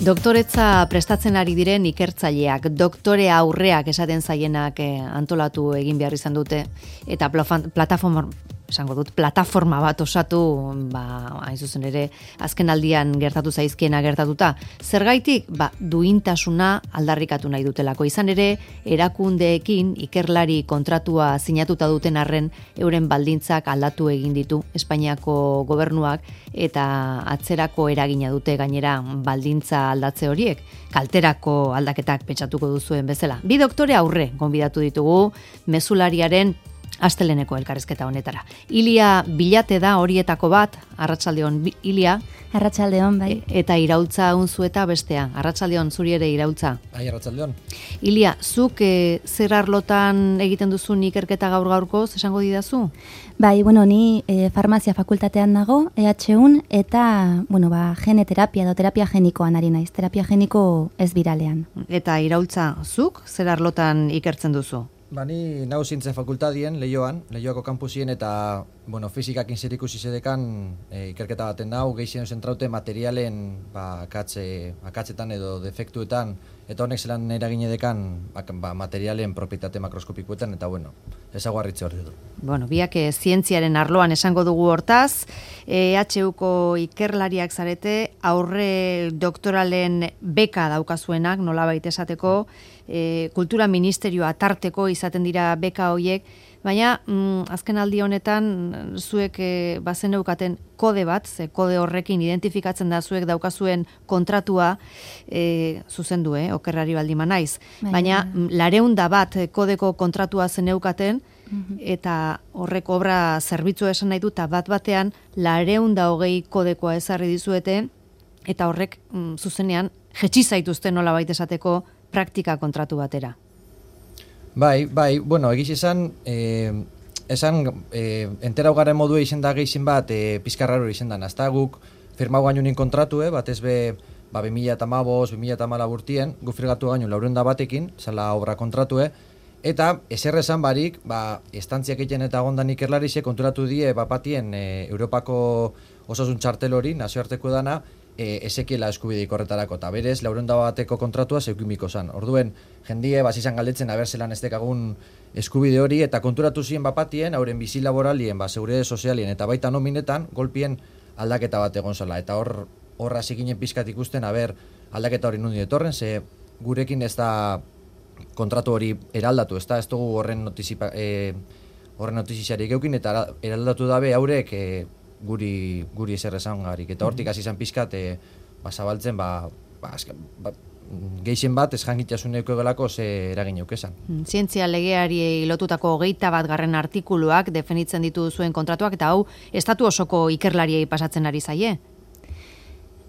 Doktoretza prestatzen ari diren ikertzaileak, doktore aurreak esaten zaienak antolatu egin behar izan dute, eta plataforma bat osatu, hain zuzen ere, azken aldian gertatu zaizkiena gertatuta. Zergaitik? Duintasuna aldarrikatu nahi dutelako. Izan ere, erakundeekin ikerlari kontratua sinatuta duten arren, euren baldintzak aldatu egin ditu Espainiako gobernuak, eta atzerako eragina dute gainera baldintza aldatze horiek, kalterako aldaketak pentsatuko duzuen bezala. Bi doktore aurre gonbidatu ditugu mezulariaren asteleneko elkarrizketa honetara. Ilia Bilate da horietako bat, arratsaldeon Ilia. Arratsaldeon, bai. Eta Iraultza Unzueta bestea. Arratsaldeon, zuri ere Iraultza. Bai, arratsaldeon. Ilia, zuk zer arlotan egiten duzun ikerketa gaur-gaurkoz, esango didazu? Bai, ni farmazia fakultatean nago, EHUn, eta, gene terapia edo terapia genikoan ari naiz, terapia geniko ez biralean. Eta Iraultza, zuk zer arlotan ikertzen duzu? Ni nau zientzia fakultadien, Leioako kampusien eta, fizikakin zerikusi zedekan ikerketa baten nau, gehien zentraute materialen akatzetan edo defektuetan, eta honek zelan eragine dekan materialen propietate makroskopikoetan, eta ezaguarritze hori du. Biak zientziaren arloan esango dugu hortaz, EHUko ikerlariak zarete, aurre doktoralen beka daukazuenak, nolabait esateko, kultura ministerioa tarteko izaten dira beka hoiek, baina azken aldi honetan zuek bazeneukaten kode bat, kode horrekin identifikatzen da zuek daukazuen kontratua zuzendu, okerrari baldima naiz. Baina 200 bat kodeko kontratua zeneukaten, eta horrek obra zerbitzu esan nahi dut, bat batean 220 kodekoa ezarri dizuete, eta horrek zuzenean jetxi zaituzte nolabait esateko praktika kontratu batera. Bai, egiz esan, enterau garen modua izen da gehizin bat, pizkarraro izen da, nazta guk firmau gainunin kontratu, batez be 2015-2014 urtien, gu firgatu gainun 400 batekin, zala obra kontratu, eta ezer esan barik, estantziak egiten eta gondan ikerlarize konturatu die bapatien Europako osasun txartel hori, nazioarteko dana, ezekiela eskubideik horretarako, eta berez, 400 bateko kontratua zeukimiko zan. Orduen, jendie, izan galdetzen, zelan ez dekagun eskubide hori, eta konturatu ziren bapatien, hauren bizi laboralien, seguridade sozialien, eta baita nominetan, golpien aldaketa bat egon zela. Eta horra zikinen pizkat ikusten, aldaketa hori nundi etorren, ze gurekin ez da kontratu hori eraldatu, ez dugu horren notiziarik eukin, eta eraldatu dabe haurek guri ezer esan garik. Eta hortik hasi izan pizkat, zabaltzen, gehien bat, ez jangitasun euko gelako ze eragin eukezan. Zientzia legeari lotutako 21. artikuluak definitzen ditu zuen kontratuak, eta hau, estatu osoko ikerlariei pasatzen ari zaie?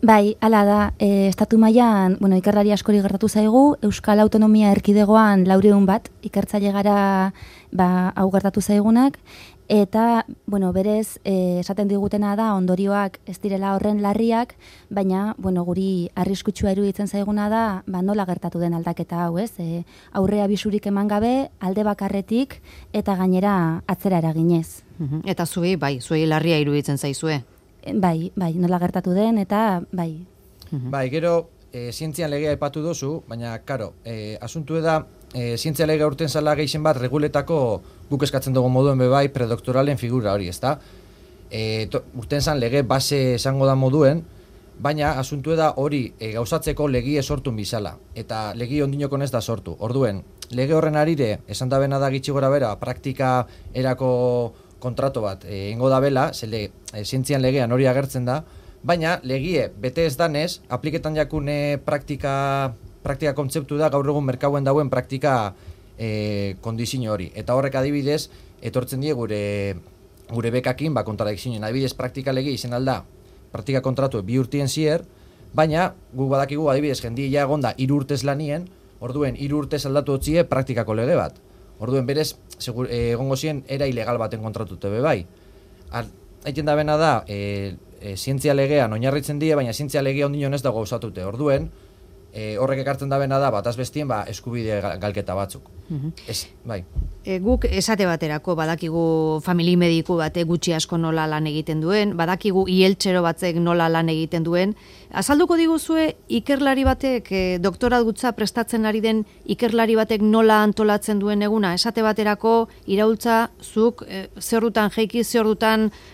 Bai, hala da, estatu mailan, ikerlari askori gertatu zaigu, Euskal Autonomia Erkidegoan 400 bat, ikertzaile gara hau gertatu zaigunak, eta, berez, esaten digutena da, ondorioak ez direla horren larriak, baina, guri arriskutsua iruditzen zaiguna da, nola gertatu den aldaketa hau, ez? Aurrea bisurik eman gabe, alde bakarretik, eta gainera atzera eraginez. Eta zuei larria iruditzen zaizue? Bai, nola gertatu den, eta bai. Bai, gero, zientzian legea aipatu duzu, baina, karo, asuntu da, zientzia legea urten zala gehien bat reguletako guk eskatzen dugu moduen bebai predoktoralen figura hori, ezta? Urten zan lege base esango da moduen, baina asuntu da hori gauzatzeko legie sortun bizala, eta legi ondinokon ez da sortu. Orduen, lege horren arire, esan da bena da gitxi gora bera, praktika erako kontrato bat ingo da bela, zientzian legean hori agertzen da, baina legie bete ez danez, apliketan jakune praktika kontzeptu da gaur egun merkauen dauen praktika kondizio hori. Eta horrek adibidez, etortzen die gure bekakin kontradikzioen. Adibidez, praktika lege izen alda, praktika kontratu 2 urtien zier, baina guk badakigu adibidez jendia ja egonda 3 urtez lanien, orduen 3 urtez aldatu otzie praktikako lege bat. Orduen berez, egongo zien era ilegal baten kontratute bebai. Haiten da bena da, zientzia legean oinarritzen die, baina zientzia legea ondinon ez dago gauzatute. Orduen, horrek ekartzen da bena da, bataz bestien, eskubide galketa batzuk. Ez, bai. Guk esate baterako badakigu famili mediku bate gutxi asko nola lan egiten duen, badakigu ieltxero batzek nola lan egiten duen. Azalduko diguzue ikerlari batek, doktoratutza prestatzen ari den ikerlari batek nola antolatzen duen eguna? Esate baterako iraultza zuk zer jeiki, zer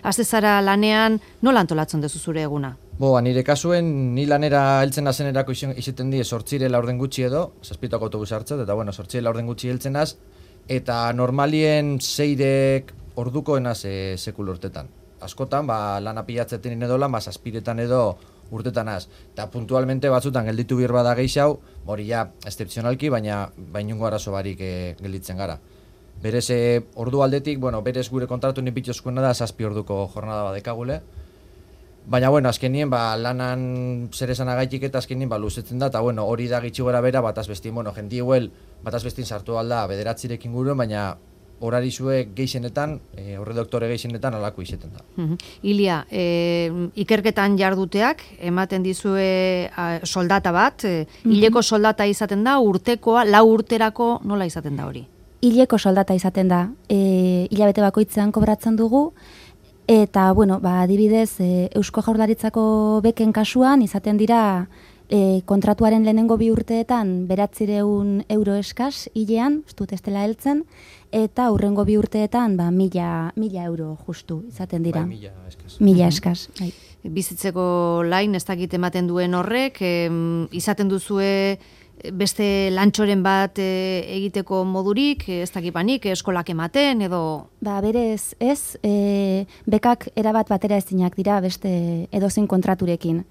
aztezara lanean, nola antolatzen duzu zure eguna? Nire kasuen, ni lanera heltzen nazenerako izaten die 8 laurden gutxi edo, 7 autobus hartzat, eta 8 laurden gutxi heltzen naz, eta normalien 6 ordukoenaz sekul urtetan. Askotan, lana pilatzeten edo lan, 7 edo urtetanaz. Eta puntualmente batzutan gelditu bir bada gehiago, hori ja, excepzionalki, baina bainungo arazo barik gelditzen gara. Berez, ordu aldetik, berez gure kontratu nipitxoskuena da 7 orduko jornada badekagule. Baina, azkenien, lanan zer esan agaitik eta azkenien, luzetzen da, eta hori da gitxi gora bera, bataz bestin, jendi eguel, bataz bestin sartu alda 9 inguruen, baina horari zue geixenetan, horre doktore geixenetan alako izeten da. Ilia, ikerketan jarduteak, ematen dizue soldata bat, hileko soldata izaten da, urtekoa, 4 urterako nola izaten da hori? Hileko soldata izaten da, hilabete bakoitzean kobratzen dugu, eta, adibidez, Eusko Jaurlaritzako beken kasuan izaten dira kontratuaren lehenengo 2 urteetan 900 euro eskas hilean, ez dut ez dela heltzen, eta hurrengo 2 urteetan 1000 euro justu izaten dira. 1000 eskas. Bai. Bizitzeko lain ez dakit ematen duen horrek, izaten duzue beste lantxoren bat egiteko modurik, ez dakipanik, eskolak ematen, edo... Berez, ez, bekak erabat batera ezinak dira beste edozein kontraturekin.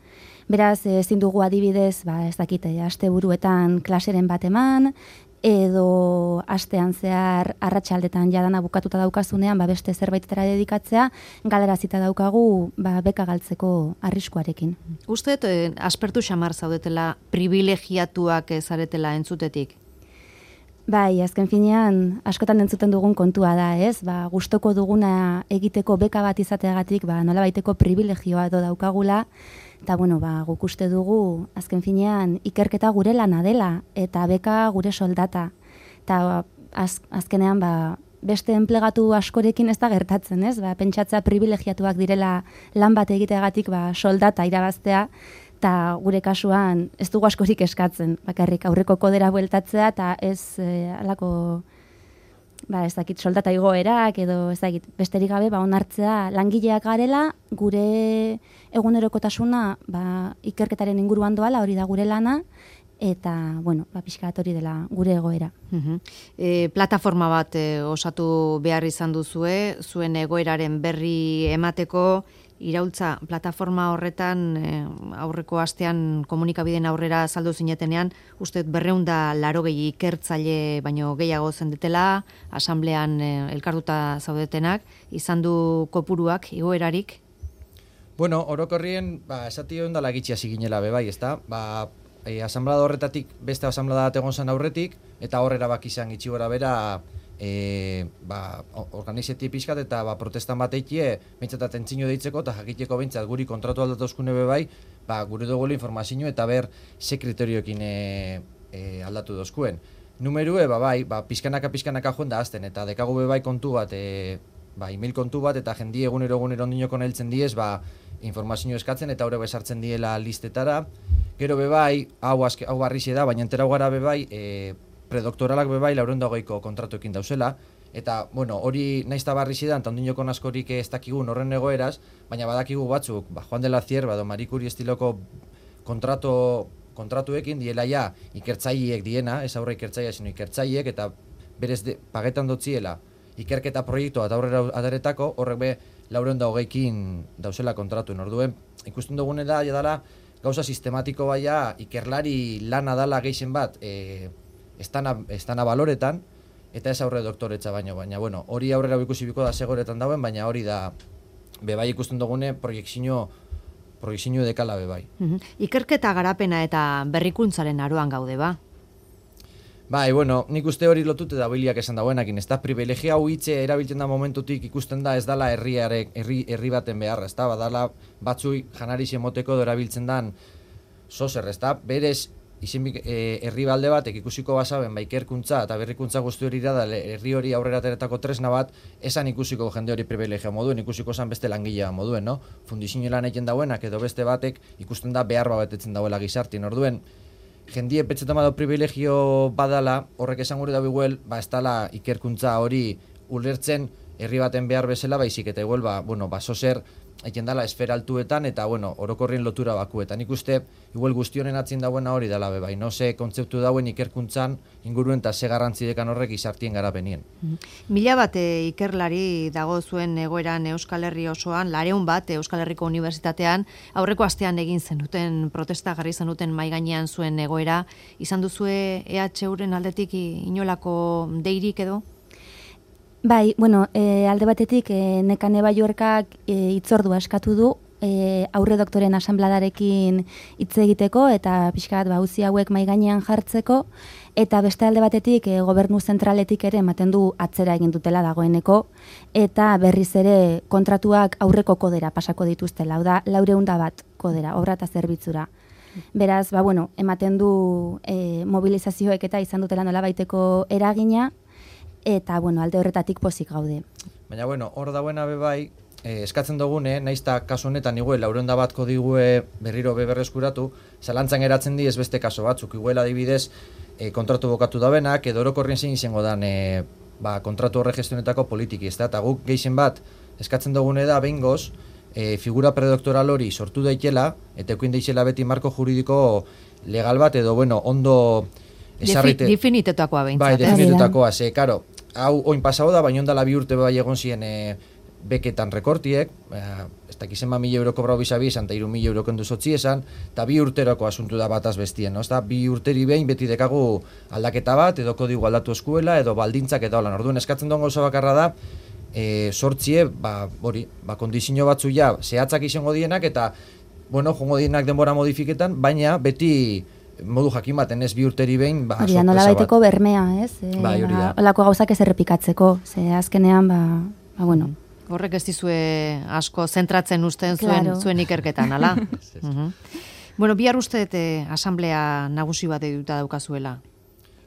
Beraz, ezin dugu adibidez, ez dakite, asteburuetan klaseren bat eman, edo astean zehar arratsaldetan jadana bukatuta daukazunean, beste zerbaitetara dedikatzea, galarazita daukagu beka galtzeko arriskuarekin. Uste, aspertu xamar zaudetela, privilegiatuak zaretela entzutetik? Bai, azken finean, askotan entzuten dugun kontua da, ez? Gustoko duguna egiteko beka bat izateagatik, nolabaiteko privilegioa edo daukagula, eta, guk uste dugu, azken finean, ikerketa gure lana dela, eta beka gure soldata. Eta azkenean, beste enplegatu askorekin ez da gertatzen, ez? Pentsatzea privilegiatuak direla lan bat egiteagatik, soldata irabaztea, eta gure kasuan ez dugu askorik eskatzen, bakarrik aurreko kodera bueltatzea, eta ez alako, ez dakit, soldata igoerak, edo ez dakit, besterik gabe, onartzea langileak garela, gure egunerokotasuna ikerketaren inguruan doala, hori da gure lana, eta, pixkat hori dela gure egoera. Plataforma bat osatu behar izan duzue, zuen egoeraren berri emateko, iraultza plataforma horretan aurreko astean komunikabideen aurrera saldu zinetenean, uste 280 ikertzaile baino gehiago zendetela, asamblean elkartuta zaudetenak, izan du kopuruak, igoerarik? Orokorrien, esati hon dala gitxia ziginela bebai, ez da? Asamblada horretatik, beste asamblada egon zen aurretik, eta horrera izan gitxi gora bera, organizeti pixkat eta protestan bat eikie bentsatat entzino deitzeko eta jakiteko bentsat guri kontratu aldatuzkune bebai, gure dugu informazio eta ber ze kriterioekin aldatu dozkuen. Numerue, pixkanaka joan da azten, eta dekagu bebai kontu bat, email kontu bat, eta jendi egunero ondinoko naheltzen diez, informazio eskatzen, eta horre besartzen diela listetara. Gero bebai, hau barrixe da, baina entera gara bebai, predoktoralak bebai 420ko kontratuekin dauzela, eta, hori naizta barrixe da, eta ondinoko askorik ez dakigun horren egoeraz, baina badakigu batzuk, Juan de la Cierva edo Marie Curie estiloko kontratuekin diela ja ikertzaileek diena, ez aurre ikertzailea, sino ikertzaileek, eta berez pagetan dotziela ikerketa proiektua eta aurrera adaretako, horrek be 420kin dauzela kontratuen. Orduen, ikusten dugune da, jadala, gauza sistematiko baia, ikerlari lana dala geixen bat, estana baloretan, eta ez aurre doktoretza baino, baina, hori aurrera ikusi biko da segoretan dauen, baina hori da, bebai ikusten dugune, proiektzio dekala bebai. Ikerketa garapena eta berrikuntzaren aroan gaude, ba? Bai, nik uste hori lotute da biliak esan dauenakin, ez da, privilegia hau hitze erabiltzen da momentutik ikusten da ez dala herri baten beharra, ez da, badala batzui janari zemoteko erabiltzen dan sozer, ez da, berez herri balde batek ikusiko basaben ikerkuntza eta berrikuntza guzti hori da herri hori aurrera ateratako tresna bat, esan ikusiko jende hori privilegio moduen, ikusiko esan beste langilea moduen, no? Fundizio lan egiten dauenak edo beste batek ikusten da behar betetzen dauela gizartien, orduen jendie petxetan bado privilegio badala, horrek esan gure da biguel, ez dala ikerkuntza hori ulertzen herri baten behar bezala, baizik eta igual, sozer egiten dala esfera altuetan eta, orokorrien lotura bakuetan. Nik uste, igual guztionen atzin dauena hori dala bebai, no? Ze kontzeptu dauen ikerkuntzan inguruen eta ze garrantzi dekan horrek izartien garapenien. 1000 bat ikerlari dago zuen egoeran Euskal Herri osoan, 200 bat Euskal Herriko Unibertsitatean, aurreko astean egin zenuten, protesta jarri zenuten mai gainean zuen egoera, izan duzue EHUren aldetik inolako deirik edo? Bai, alde batetik Nekane Balluerkak hitzordua eskatu du aurre doktoren asanbladarekin hitz egiteko eta pixkat auzi hauek mai gainean jartzeko, eta beste alde batetik gobernu zentraletik ere ematen du atzera egin dutela dagoeneko eta berriz ere kontratuak aurreko kodera pasako dituztela, hau da 400 bat kodera, obra eta zerbitzura. Beraz, ematen du mobilizazioek eta izan dutela nolabaiteko eragina, eta, alde horretatik pozik gaude. Baina, hor dauena bebai, eskatzen dugune, nahiz eta kasu honetan iguel, 400 bat kodigue berriro beberreskuratu, zalantzan geratzen di ez beste kaso batzuk, iguel adibidez, kontratu bokatu dabenak, edo orokorrien zein izango dan kontratu horre gestionetako politiki, ez da, eta guk gehien bat, eskatzen dugune da, behingoz, figura predoktoral hori sortu daitela, eta ekuin daitela beti marko juridiko legal bat, edo, ondo esarrite... Definitetakoa behintzat. Bai, definitetakoa, karo, hau oin pasau da, baina ondala 2 urte bai egon ziren beketan rekortiek, ez dakizen 1.000 euro kobrau bizabi esan, eta 3.000 euro kendu sotzi esan, eta 2 urterako asuntu da bataz bestien, no? 2 urteri behin beti dekagu aldaketa bat, edo kodigo aldatu eskuela, edo baldintzak eta holan. Orduan eskatzen duen gauza bakarra da, sortzie, kondizio batzu ja, zehatzak izango dienak, eta, jongo dienak denbora modifiketan, baina beti modu jakin baten ez 2 urteri behin, sorpresa bat. Nola baiteko bermea, ez? Bai, hori da. Olako gauzak ez errepikatzeko, azkenean, Horrek ez dizue asko zentratzen usten zuen ikerketan, ala? Bihar uste asamblea nagusi bat eduta daukazuela.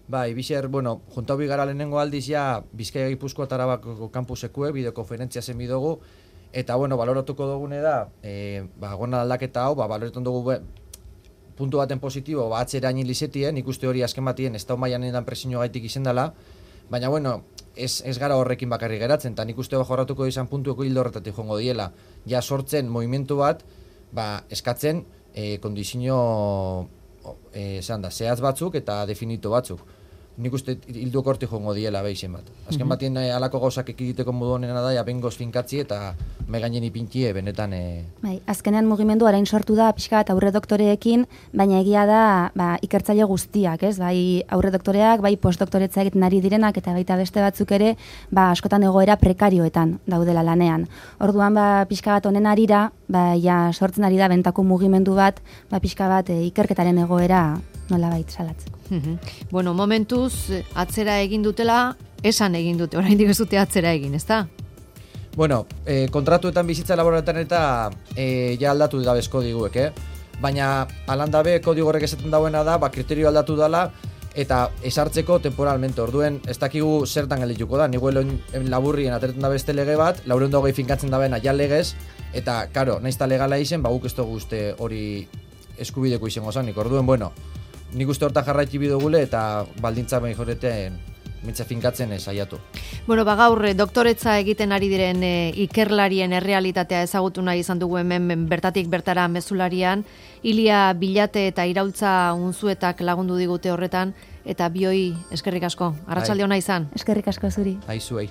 Bai, bizer, junta hobi gara lehenengo aldiz ja, Bizkaia Gipuzkoa eta Arabako kampusekue, bideokonferentzia zen bidogu, eta, baloratuko dugune da, gona aldaketa hau, baloretan dugu puntu baten positibo, atzera hain lizetien, ikuste hori azken batien, ez da maian edan presinio gaitik izen dela, baina, ez gara horrekin bakarri geratzen, eta nik uste jorratuko izan puntueko hildo horretatik jongo diela. Ja sortzen movimentu bat, eskatzen kondizio zehaz batzuk eta definito batzuk. Nik uste hildu korti jongo diela behisen bat. Azken batien alako gauzak ekiditeko modu honena da, bengoz finkatzi eta megainen ipintie benetan... Bai, azkenean mugimendu arain sortu da pixka bat aurre doktoreekin, baina egia da ikertzaile guztiak, ez? Bai aurre doktoreak, bai postdoktoretza egiten ari direnak eta baita beste batzuk ere, askotan egoera prekarioetan daudela lanean. Orduan pixka bat honen arira, sortzen ari da bentako mugimendu bat, pixka bat ikerketaren egoera nolabait salatzeko. Momentuz atzera egin dutela, esan egin dute, oraindik ez dute atzera egin, ezta? Kontratuetan bizitza laboraletan eta ja aldatu da bezko diguek, baina alandabe kodigo horrek esaten dauena da, kriterio aldatu dela, eta esartzeko temporalmente, orduen ez dakigu zertan geldituko da, niguelen laburrien ateretan da beste lege bat, 420 finkatzen da bena ja legez, eta, karo, nahiz eta legala izen, guk ez dugu uste hori eskubideko izango zanik, orduen, nik uste hortan jarraiki bidogule eta baldintza behin joreten mitza finkatzen saiatu. Gaur doktoretza egiten ari diren ikerlarien errealitatea ezagutu nahi izan dugu hemen bertatik bertara mezularian, Ilia Bilate eta Iraultza Unzuetak lagundu digute horretan, eta bioi eskerrik asko. Arratsalde ona izan. Eskerrik asko zuri. Aizuei.